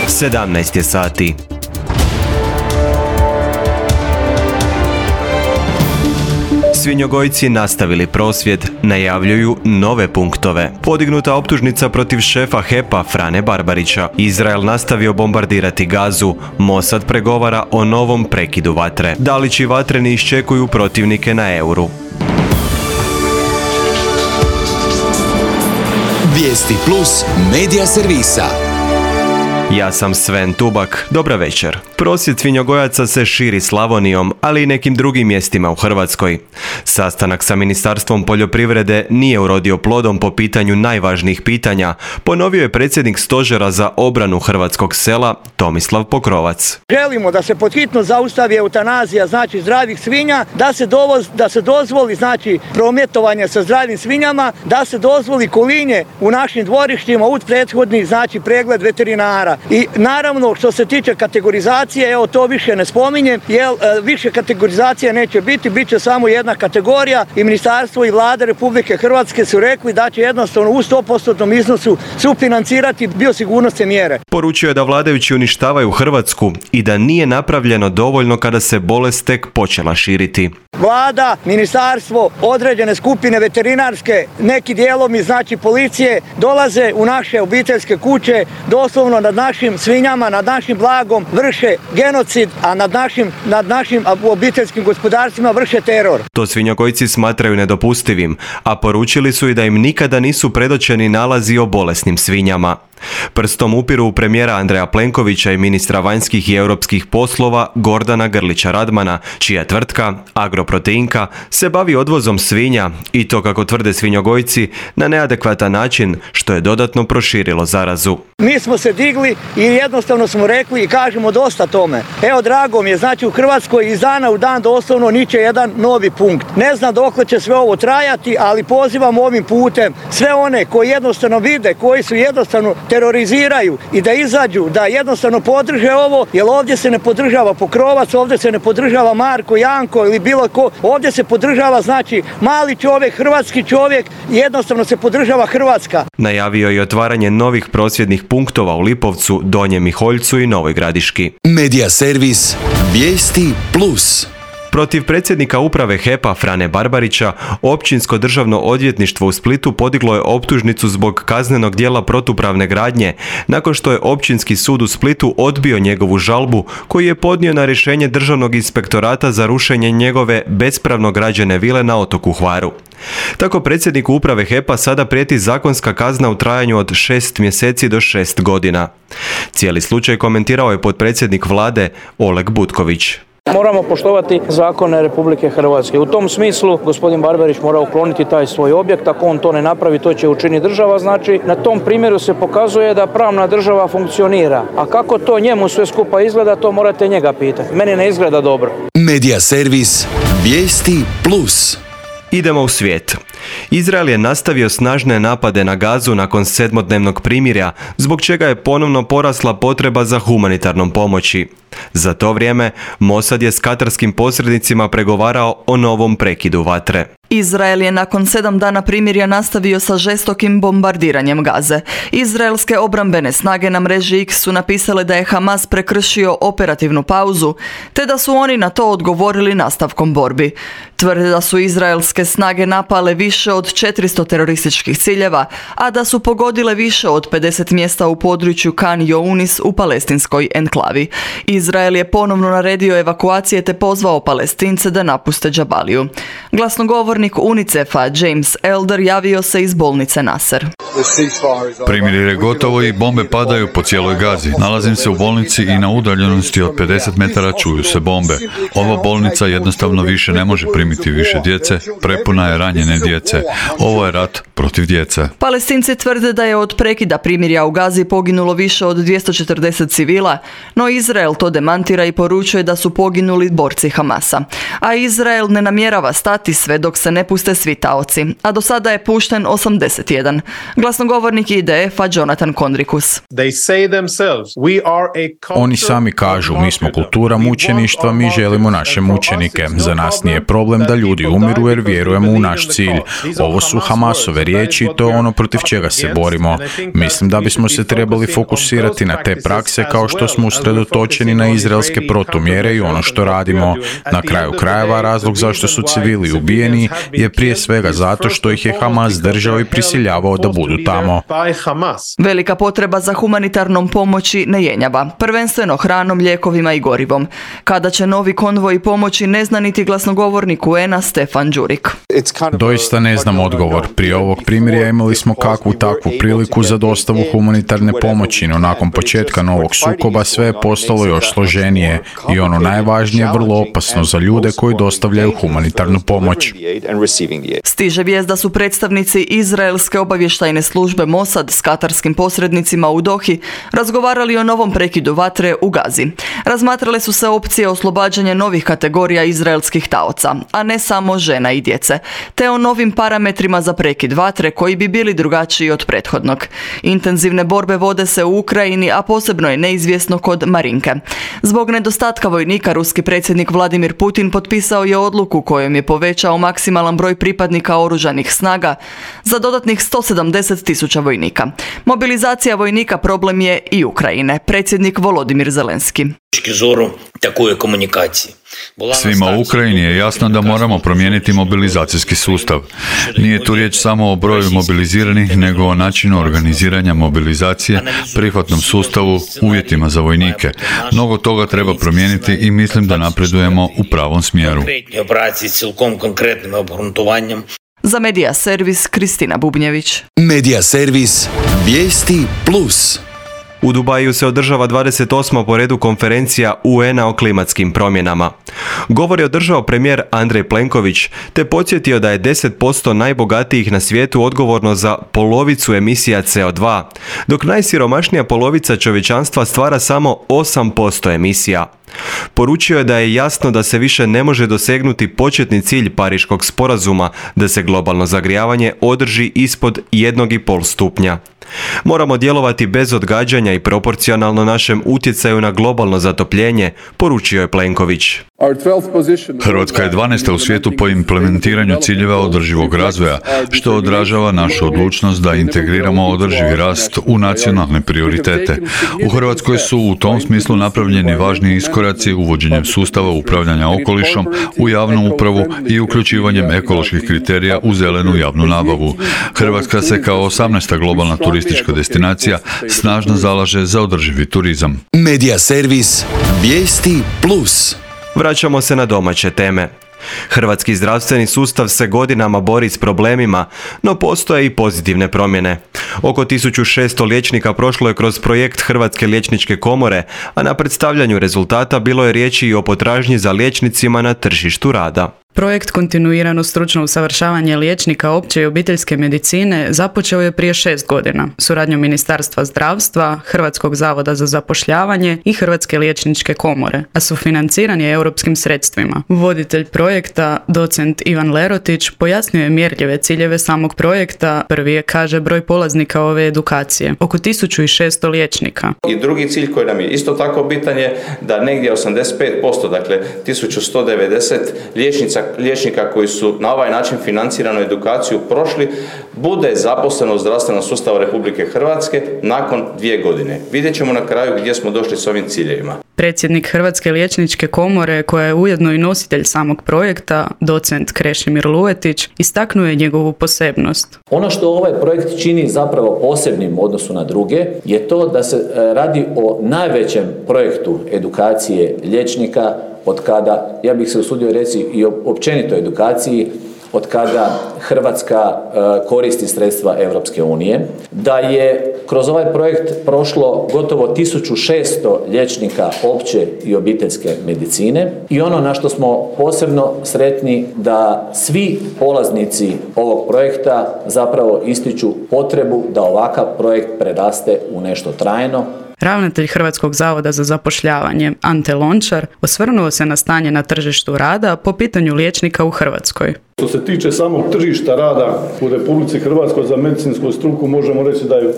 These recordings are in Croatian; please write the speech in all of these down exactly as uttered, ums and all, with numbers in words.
sedamnaest je sati. Svinjogojci nastavili prosvjed, najavljuju nove punktove. Podignuta optužnica protiv šefa H E P-a Frane Barbarića. Izrael nastavio bombardirati Gazu. Mosad pregovara o novom prekidu vatre. Dalići vatreni iščekuju protivnike na euru. Vijesti plus medija servisa. Ja sam Sven Tubak, dobra večer. Prosvjed svinjogojaca se širi Slavonijom, ali i nekim drugim mjestima u Hrvatskoj. Sastanak sa Ministarstvom poljoprivrede nije urodio plodom po pitanju najvažnijih pitanja, ponovio je predsjednik Stožera za obranu hrvatskog sela Tomislav Pokrovac. Želimo da se pod hitno zaustavi eutanazija, znači zdravih svinja, da se, dovoz, da se dozvoli znači prometovanje sa zdravim svinjama, da se dozvoli kolinje u našim dvorištima uz prethodni znači pregled veterinara. I naravno što se tiče kategorizacije, evo to više ne spominjem, jer e, više kategorizacije neće biti, bit će samo jedna kategorija i Ministarstvo i Vlada Republike Hrvatske su rekli da će jednostavno u sto posto iznosu sufinancirati biosigurnosne mjere. Poručio je da vladajući uništavaju Hrvatsku i da nije napravljeno dovoljno kada se bolest tek počela širiti. Vlada, ministarstvo, određene skupine veterinarske, neki dijelomi znači policije dolaze u naše obiteljske kuće, doslovno nad našim svinjama, nad našim blagom vrše genocid, a nad našim, nad našim obiteljskim gospodarstvima vrše teror. To svinjogojci smatraju nedopustivim, a poručili su i da im nikada nisu predočeni nalazi o bolesnim svinjama. Prstom upiru u premijera Andreja Plenkovića i ministra vanjskih i europskih poslova Gordana Grlića Radmana, čija tvrtka, Agroproteinka, se bavi odvozom svinja i to, kako tvrde svinjogojci, na neadekvatan način, što je dodatno proširilo zarazu. Mi smo se digli i jednostavno smo rekli i kažemo dosta tome. Evo, drago mi je, znači u Hrvatskoj iz dana u dan doslovno niče jedan novi punkt. Ne znam dokle će sve ovo trajati, ali pozivam ovim putem sve one koji jednostavno vide, koji su jednostavno teroriziraju i da izađu, da jednostavno podrže ovo, jer ovdje se ne podržava Pokrovac, ovdje se ne podržava Marko, Janko ili bilo ko, ovdje se podržava znači mali čovjek, hrvatski čovjek, jednostavno se podržava Hrvatska. Najavio je otvaranje novih prosvjednih punktova u Lipovcu, Donjem Miholjcu i Novoj Gradiški. Medija servis Vijesti plus. Protiv predsjednika uprave H E P-a Frane Barbarića, Općinsko državno odvjetništvo u Splitu podiglo je optužnicu zbog kaznenog djela protupravne gradnje, nakon što je Općinski sud u Splitu odbio njegovu žalbu koju je podnio na rješenje Državnog inspektorata za rušenje njegove bespravno građene vile na otoku Hvaru. Tako predsjedniku uprave H E P-a sada prijeti zakonska kazna u trajanju od šest mjeseci do šest godina. Cijeli slučaj komentirao je potpredsjednik vlade Oleg Butković. Moramo poštovati zakone Republike Hrvatske. U tom smislu gospodin Barbarić mora ukloniti taj svoj objekt. Ako on to ne napravi, to će učiniti država. Znači, na tom primjeru se pokazuje da pravna država funkcionira. A kako to njemu sve skupa izgleda, to morate njega pitati. Meni ne izgleda dobro. Medija servis Vijesti plus. Idemo u svijet. Izrael je nastavio snažne napade na Gazu nakon sedmodnevnog primirja, zbog čega je ponovno porasla potreba za humanitarnom pomoći. Za to vrijeme, Mosad je s katarskim posrednicima pregovarao o novom prekidu vatre. Izrael je nakon sedam dana primirja nastavio sa žestokim bombardiranjem Gaze. Izraelske obrambene snage na mreži X su napisale da je Hamas prekršio operativnu pauzu, te da su oni na to odgovorili nastavkom borbi. Tvrde da su izraelske snage napale više od četiristo terorističkih ciljeva, a da su pogodile više od pedeset mjesta u području Khan Younis u palestinskoj enklavi. Izrael je ponovno naredio evakuacije te pozvao Palestince da napuste Džabaliju. Glasnogovornik UNICEF-a James Elder javio se iz bolnice Nasser. Primirje je gotovo i bombe padaju po cijeloj Gazi. Nalazim se u bolnici i na udaljenosti od pedeset metara čuju se bombe. Ova bolnica jednostavno više ne može primiti više djece, prepuna je ranjene djece. Ovo je rat protiv djece. Palestinci tvrde da je od prekida primirja u Gazi poginulo više od dvjesto četrdeset civila, no Izrael to demantira i poručuje da su poginuli borci Hamasa. A Izrael ne namjerava stati sve dok se ne puste svi taoci, a do sada je pušten osamdeset jedan. Glasnogovornik I D F-a Jonathan Kondrikus. Oni sami kažu, mi smo kultura mučeništva, mi želimo naše mučenike. Za nas nije problem da ljudi umiru jer vjerujemo u naš cilj. Ovo su Hamasove riječi i to je ono protiv čega se borimo. Mislim da bismo se trebali fokusirati na te prakse kao što smo usredotočeni na izraelske protumjere i ono što radimo. Na kraju krajeva razlog zašto su civili ubijeni je prije svega zato što ih je Hamas držao i prisiljavao da budu tamo. Velika potreba za humanitarnom pomoći ne jenjava, prvenstveno hranom, lijekovima i gorivom. Kada će novi konvoj pomoći ne zna niti glasnogovornik U N A Stefan Đurik. Doista ne znam odgovor. Prije ovog primirja imali smo kakvu takvu priliku za dostavu humanitarne pomoći, no nakon početka novog sukoba sve je postalo još složenije i ono najvažnije vrlo opasno za ljude koji dostavljaju humanitarnu pomoć. Stiže vijest da su predstavnici izraelske obavještajne službe Mossad s katarskim posrednicima u Dohi razgovarali o novom prekidu vatre u Gazi. Razmatrale su se opcije oslobađanja novih kategorija izraelskih taoca, a ne samo žena i djece, te o novim parametrima za prekid vatre koji bi bili drugačiji od prethodnog. Intenzivne borbe vode se u Ukrajini, a posebno je neizvjesno kod Marinke. Zbog nedostatka vojnika, ruski predsjednik Vladimir Putin potpisao je odluku kojom je povećao maksimalan broj pripadnika oružanih snaga za dodatnih sto sedamdeset tisuća vojnika. Mobilizacija vojnika problem je i Ukrajine, predsjednik Volodimir Zelenski. Svima u Ukrajini je jasno da moramo promijeniti mobilizacijski sustav. Nije tu riječ samo o broju mobiliziranih, nego o načinu organiziranja mobilizacije, prihvatnom sustavu, uvjetima za vojnike. Mnogo toga treba promijeniti i mislim da napredujemo u pravom smjeru. Za Medija Servis, Kristina Bubnjević. Medija Servis, vijesti plus. U Dubaju se održava dvadeset osma po redu konferencija U N A o klimatskim promjenama. Govor je održao premijer Andrej Plenković, te podsjetio da je deset posto najbogatijih na svijetu odgovorno za polovicu emisija C O dva, dok najsiromašnija polovica čovječanstva stvara samo osam posto emisija. Poručio je da je jasno da se više ne može dosegnuti početni cilj Pariškog sporazuma da se globalno zagrijavanje održi ispod jednog i pol stupnja. Moramo djelovati bez odgađanja i proporcionalno našem utjecaju na globalno zatopljenje, poručio je Plenković. Hrvatska je dvanaesta u svijetu po implementiranju ciljeva održivog razvoja, što odražava našu odlučnost da integriramo održivi rast u nacionalne prioritete. U Hrvatskoj su u tom smislu napravljeni važni iskoraci uvođenjem sustava upravljanja okolišom u javnu upravu i uključivanjem ekoloških kriterija u zelenu javnu nabavu. Hrvatska se kao osamnaesta globalna turistička destinacija snažno zalaže za održivi turizam. Medija Servis, vijesti plus. Vraćamo se na domaće teme. Hrvatski zdravstveni sustav se godinama bori s problemima, no postoje i pozitivne promjene. Oko tisuću šesto liječnika prošlo je kroz projekt Hrvatske liječničke komore, a na predstavljanju rezultata bilo je riječi i o potražnji za liječnicima na tržištu rada. Projekt kontinuirano stručno usavršavanje liječnika opće i obiteljske medicine započeo je prije šest godina, suradnjom Ministarstva zdravstva, Hrvatskog zavoda za zapošljavanje i Hrvatske liječničke komore, a sufinanciran je europskim sredstvima. Voditelj projekta, docent Ivan Lerotić, pojasnio je mjerljive ciljeve samog projekta. Prvi je, kaže, broj polaznika ove edukacije, oko tisuću šesto liječnika. I drugi cilj koji nam je isto tako bitan je da negdje osamdeset pet posto, dakle tisuću sto devedeset liječnica liječnika koji su na ovaj način financiranu edukaciju prošli, bude zaposleno u zdravstvenom sustavu Republike Hrvatske nakon dvije godine. Vidjet ćemo na kraju gdje smo došli s ovim ciljevima. Predsjednik Hrvatske liječničke komore, koja je ujedno i nositelj samog projekta, docent Krešimir Luetić, istaknuo je njegovu posebnost. Ono što ovaj projekt čini zapravo posebnim u odnosu na druge je to da se radi o najvećem projektu edukacije liječnika od kada, ja bih se usudio reći i općenito edukaciji, od kada Hrvatska koristi sredstva Europske unije, da je kroz ovaj projekt prošlo gotovo tisuću šesto liječnika opće i obiteljske medicine i ono na što smo posebno sretni da svi polaznici ovog projekta zapravo ističu potrebu da ovakav projekt preraste u nešto trajno Ravnatelj Hrvatskog zavoda za zapošljavanje Ante Lončar osvrnuo se na stanje na tržištu rada po pitanju liječnika u Hrvatskoj. Što se tiče samog tržišta rada u Republici Hrvatskoj za medicinsku struku, možemo reći da je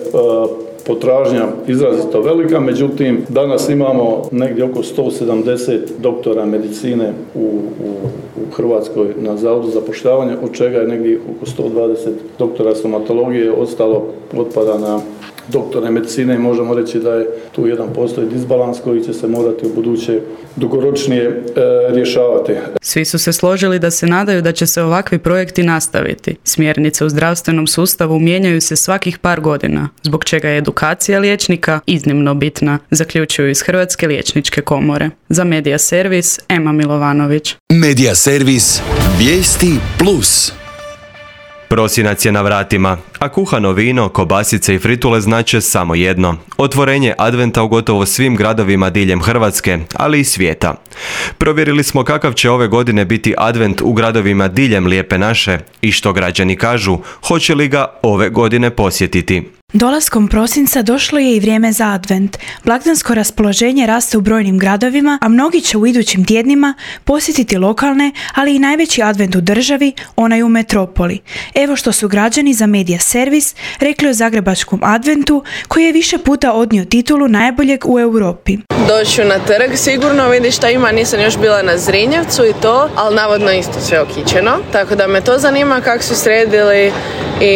potražnja izrazito velika, međutim danas imamo negdje oko sto sedamdeset doktora medicine u, u, u Hrvatskoj na Zavodu za zapošljavanje, od čega je negdje oko sto dvadeset doktora stomatologije, ostalo otpada na doktore medicine i možemo reći da je tu jedan postoji disbalans koji će se morati u buduće dugoročnije e, rješavati. Svi su se složili da se nadaju da će se ovakvi projekti nastaviti. Smjernice u zdravstvenom sustavu mijenjaju se svakih par godina, zbog čega je edukacija liječnika iznimno bitna, zaključuju iz Hrvatske liječničke komore. Za Medija Servis, Ema Milovanović. Medija Servis, vijesti plus. Prosinac je na vratima, a kuhano vino, kobasice i fritule znače samo jedno. Otvorenje adventa u gotovo svim gradovima diljem Hrvatske, ali i svijeta. Provjerili smo kakav će ove godine biti advent u gradovima diljem Lijepe naše i što građani kažu, hoće li ga ove godine posjetiti. Dolaskom prosinca došlo je i vrijeme za advent. Blagdansko raspoloženje raste u brojnim gradovima, a mnogi će u idućim tjednima posjetiti lokalne, ali i najveći advent u državi, onaj u metropoli. Evo što su građani za Medija Servis rekli o zagrebačkom adventu, koji je više puta odnio titulu najboljeg u Europi. Doću na trg, sigurno vidi šta ima, nisam još bila na Zrinjevcu i to, ali navodno isto sve okićeno, tako da me to zanima kako su sredili i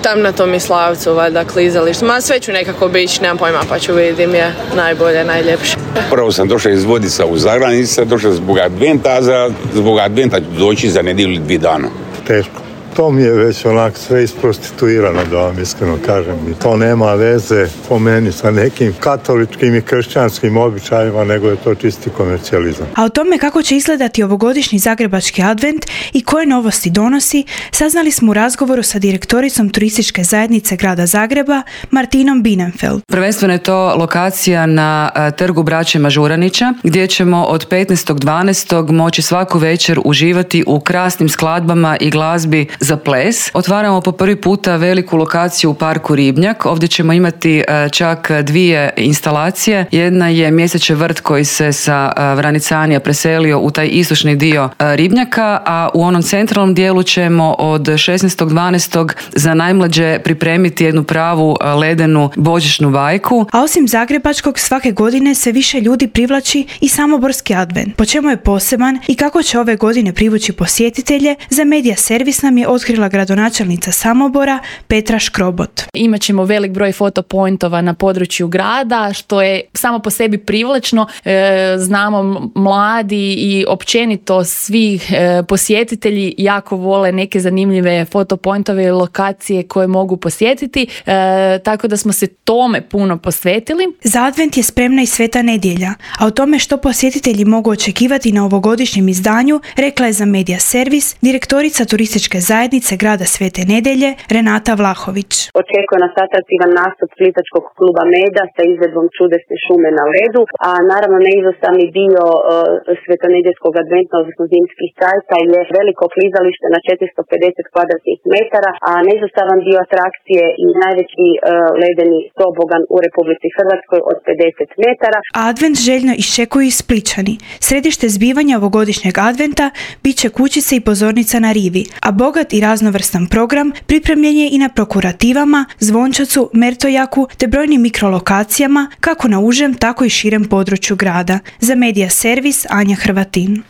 tam na tom Islavcu, valjda klizalište. Ma sve ću nekako bići, nemam pojma, pa ću vidim je najbolje, najljepše. Prvo sam došao iz Vodica u Zagrad, nisam došao zbog adventa, a za, zbog adventa ću doći za nedjelju ili dvije dana. Teško. To mi je već onak sve isprostituirano, da vam iskreno kažem. I to nema veze po meni sa nekim katoličkim i kršćanskim običajima, nego je to čisti komercijalizam. A o tome kako će izgledati ovogodišnji zagrebački advent i koje novosti donosi, saznali smo u razgovoru sa direktoricom turističke zajednice grada Zagreba, Martinom Bienenfeld. Prvenstveno je to lokacija na trgu Braće Mažuranića, gdje ćemo od petnaestog dvanaestog moći svaku večer uživati u krasnim skladbama i glazbi za ples. Otvaramo po prvi puta veliku lokaciju u parku Ribnjak. Ovdje ćemo imati čak dvije instalacije. Jedna je mjesečni vrt koji se sa Vranicanija preselio u taj istočni dio Ribnjaka, a u onom centralnom dijelu ćemo od šesnaestog dvanaestog za najmlađe pripremiti jednu pravu ledenu božićnu bajku. A osim zagrebačkog, svake godine sve više ljudi privlači i samoborski advent. Po čemu je poseban i kako će ove godine privući posjetitelje, za Medija Servis nam je otkrila gradonačelnica Samobora Petra Škrobot. Imaćemo velik broj fotopointova na području grada, što je samo po sebi privlačno. E, znamo mladi i općenito svi e, posjetitelji jako vole neke zanimljive fotopointove i lokacije koje mogu posjetiti, e, tako da smo se tome puno posvetili. Za advent je spremna i Sveta nedjelja, a o tome što posjetitelji mogu očekivati na ovogodišnjem izdanju rekla je za Medija Servis direktorica turističke zajednice grada Svete Nedelje Renata Vlahović. Očekuje nas atraktivan nastup Slitačkog kluba Meda sa izvedbom Čudesne šume na ledu, a naravno neizostavni dio uh, svetonedjeljskog adventna, odnosno zimskih cajta je veliko klizalište na četiristo pedeset kvadratnih metara, a neizostavan dio atrakcije i najveći uh, ledeni tobogan u Republici Hrvatskoj od pedeset metara. Advent željno iščekuju i Splićani. Središte zbivanja ovogodišnjeg adventa bit će kućica i pozornica na rivi, a bogat i raznovrstan program pripremljen je i na Prokurativama, Zvončacu, Mertojaku te brojnim mikrolokacijama kako na užem tako i širem području grada. Za Medija Servis Anja Hrvatin.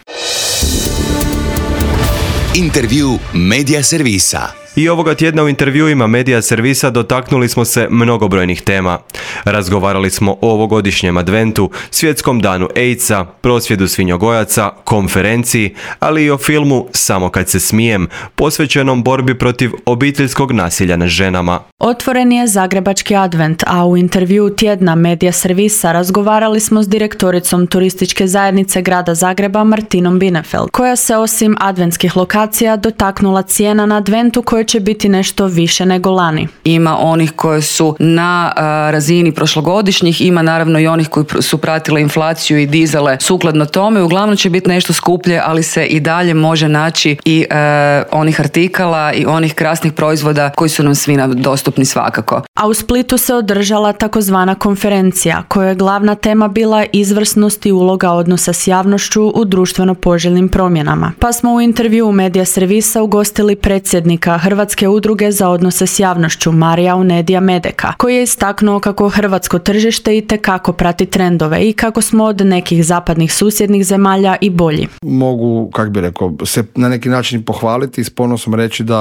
Intervju Medija Servisa. I ovoga tjedna u intervjuima Medija Servisa dotaknuli smo se mnogobrojnih tema. Razgovarali smo o ovogodišnjem adventu, svjetskom danu AIDS-a, prosvjedu svinjogojaca, konferenciji, ali i o filmu Samo kad se smijem, posvećenom borbi protiv obiteljskog nasilja nad ženama. Otvoren je zagrebački advent, a u intervjuu tjedna Medija Servisa razgovarali smo s direktoricom turističke zajednice grada Zagreba Martinom Bienenfeld, koja se osim adventskih lokacija dotaknula cijena na adventu koje će biti nešto više nego lani. Ima onih koje su na a, razini prošlogodišnjih, ima naravno i onih koji su pratile inflaciju i dizale sukladno tome. Uglavnom će biti nešto skuplje, ali se i dalje može naći i a, onih artikala i onih krasnih proizvoda koji su nam svima dostupni svakako. A u Splitu se održala takozvana konferencija, koja je glavna tema bila izvrsnost i uloga odnosa s javnošću u društveno poželjnim promjenama. Pa smo u intervju Medija Servisa ugostili predsjednika Hrvatske udruge za odnose s javnošću Marija Unedija Medeka, koji je istaknuo kako hrvatsko tržište itekako prati trendove i kako smo od nekih zapadnih susjednih zemalja i bolji. Mogu, kak bi rekao, se na neki način pohvaliti i s ponosom reći da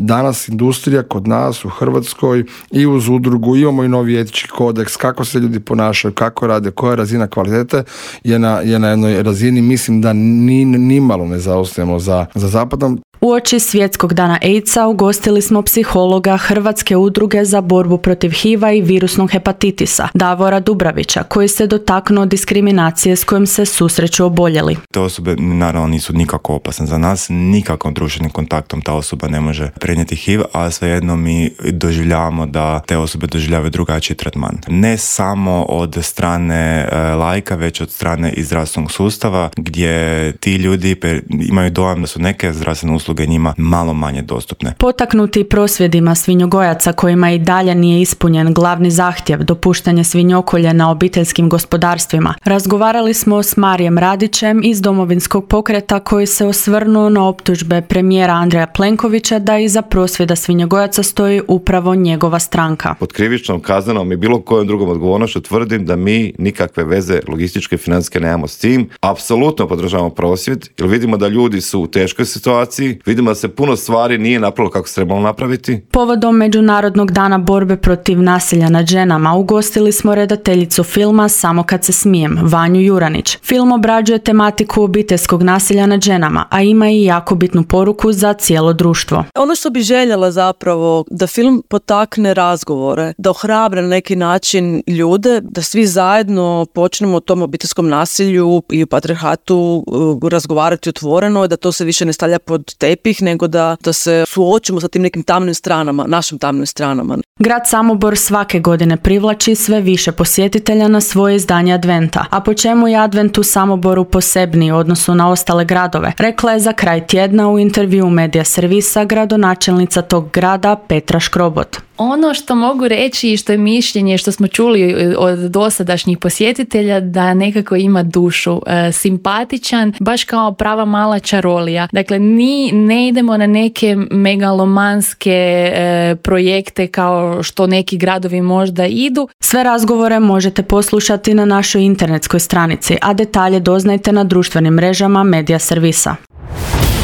danas industrija kod nas u Hrvatskoj i uz udrugu imamo i novi etički kodeks, kako se ljudi ponašaju, kako rade, koja je razina kvalitete je na, je na jednoj razini, mislim da ni, ni malo ne zaostajemo za, za zapadom. Uoči Svjetskog dana AIDS-a ugostili smo psihologa Hrvatske udruge za borbu protiv H I V-a i virusnog hepatitisa, Davora Dubravića, koji se dotaknuo diskriminacije s kojom se susreću oboljeli. Te osobe naravno nisu nikako opasne za nas, nikakvom društvenim kontaktom ta osoba ne može prenijeti H I V, a svejedno mi doživljavamo da te osobe doživljavaju drugačiji tretman. Ne samo od strane e, lajka, već od strane i zdravstvenog sustava, gdje ti ljudi pe, imaju dojam da su neke zdravstvene usluge njima malo manje dostupne. Potaknuti prosvjedima svinjogojaca kojima i dalje nije ispunjen glavni zahtjev dopuštanje svinjokolje na obiteljskim gospodarstvima, razgovarali smo s Marijem Radićem iz Domovinskog pokreta, koji se osvrnuo na optužbe premijera Andreja Plenkovića da iza prosvjeda svinjogojaca stoji upravo njegova stranka. Pod krivičnom, kaznenom i bilo kojom drugom odgovornošću tvrdim da mi nikakve veze logističke i financijske nemamo s tim. Apsolutno podržavamo prosvjed jer vidimo da ljudi su u teškoj situaciji. Vidimo da se puno stvari nije napravilo kako se trebalo napraviti. Povodom Međunarodnog dana borbe protiv nasilja nad ženama ugostili smo redateljicu filma Samo kad se smijem, Vanju Juranić. Film obrađuje tematiku obiteljskog nasilja nad ženama, a ima i jako bitnu poruku za cijelo društvo. Ono što bi željela zapravo da film potakne razgovore, da ohrabre na neki način ljude, da svi zajedno počnemo o tom obiteljskom nasilju i u patrijarhatu uh, razgovarati otvoreno, da to se više ne stavlja pod tepih, nego da, da se suočimo sa tim nekim tamnim stranama, našim tamnim stranama. Grad Samobor svake godine privlači sve više posjetitelja na svoje izdanje Adventa. A po čemu je Advent u Samoboru posebniji u odnosu na ostale gradove, rekla je za kraj tjedna u intervju Medija Servisa gradonačelnica tog grada Petra Škrobot. Ono što mogu reći i što je mišljenje što smo čuli od dosadašnjih posjetitelja, da nekako ima dušu, e, simpatičan, baš kao prava mala čarolija. Dakle, ni, ne idemo na neke megalomanske e, projekte kao što neki gradovi možda idu. Sve razgovore možete poslušati na našoj internetskoj stranici, a detalje doznajte na društvenim mrežama Medija Servisa.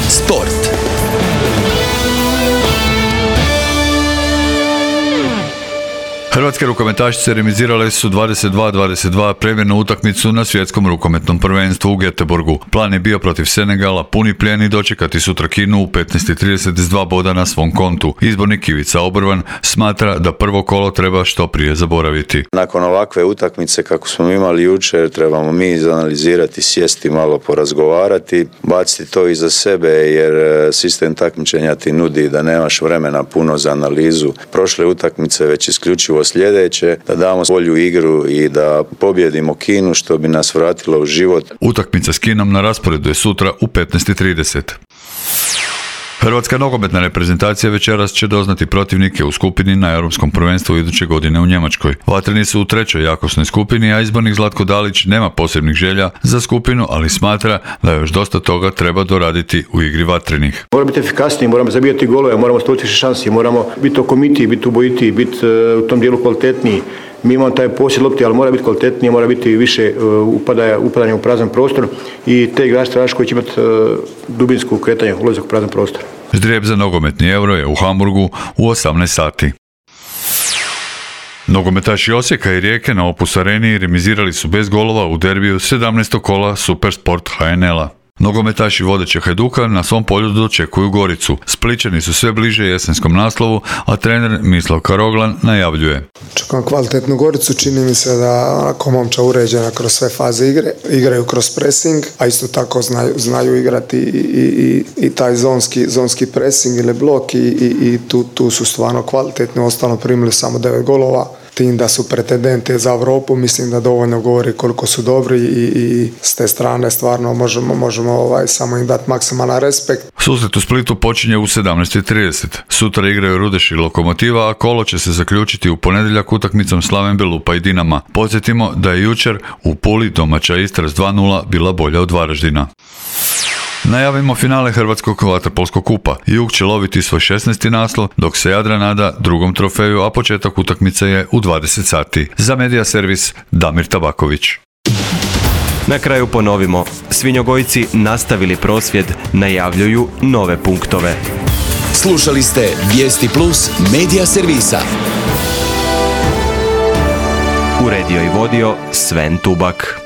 Sport. Hrvatske rukometašice remizirale su dvadeset dva dvadeset dva premjernu utakmicu na svjetskom rukometnom prvenstvu u Göteborgu. Plan je bio protiv Senegala puni plijen i dočekati sutra Kinu u petnaest i trideset s dva boda na svom kontu. Izbornik Ivica Obrvan smatra da prvo kolo treba što prije zaboraviti. Nakon ovakve utakmice kako smo imali jučer, trebamo mi izanalizirati, sjesti, malo porazgovarati, baciti to iza sebe jer sistem takmičenja ti nudi da nemaš vremena puno za analizu. Prošle utakmice već isključivo sljedeće, da damo bolju igru i da pobjedimo Kinu, što bi nas vratilo u život. Utakmica s Kinom na rasporedu je sutra u petnaest i trideset. Hrvatska nogometna reprezentacija večeras će doznati protivnike u skupini na Europskom prvenstvu iduće godine u Njemačkoj. Vatreni su u trećoj jakosnoj skupini, a izbornik Zlatko Dalić nema posebnih želja za skupinu, ali smatra da još dosta toga treba doraditi u igri vatrenih. Moramo biti efikasniji, moramo zabijati golove, moramo stvoriti više šansi, moramo biti okomitiji, biti ubojitiji, biti u tom dijelu kvalitetniji. Mi imamo taj posjed lopti, ali mora biti kvalitetniji, mora biti više upadanja, upadanja u prazan prostor i te igrači traži koji će imati dubinsku kretanje, ulazak u prazan prostor. Ždrijeb za nogometni Euro je u Hamburgu u osamnaest sati. Nogometaši Osijeka i Rijeke na Opus Areni remizirali su bez golova u derbiju sedamnaestog kola Supersport H N L-a. Nogometaši vodećeg Hajduka na svom polju dočekuju Goricu. Splićani su sve bliže jesenskom naslovu, a trener Mislav Karoglan najavljuje. Čekam kvalitetnu Goricu, čini mi se da onako momča uređena kroz sve faze igre, igraju kroz pressing, a isto tako znaju, znaju igrati i, i, i taj zonski, zonski pressing ili blok i, i, i tu, tu su stvarno kvalitetni, ostalo primili samo devet golova. Tim da su pretendente za Europu, mislim da dovoljno govori koliko su dobri i, i s te strane stvarno možemo, možemo ovaj, samo im dati maksimalan respekt. Susret u Splitu počinje u sedamnaest i trideset. Sutra igraju Rudeš i Lokomotiva, a kolo će se zaključiti u ponedjeljak utakmicom Slaven Belupa i Dinama. Podsjetimo da je jučer u Puli domaća Istra s dva nula bila bolja od Varaždina. Najavimo finale Hrvatskog vaterpolskog kupa. Jug će loviti svoj šesnaesti naslov, dok se Jadran nada drugom trofeju, a početak utakmice je u dvadeset sati. Za Medija servis Damir Tabaković. Na kraju ponovimo. Svinjogojci nastavili prosvjed, najavljuju nove punktove. Slušali ste Vijesti Plus Medija servisa. Uredio i vodio Sven Tubak.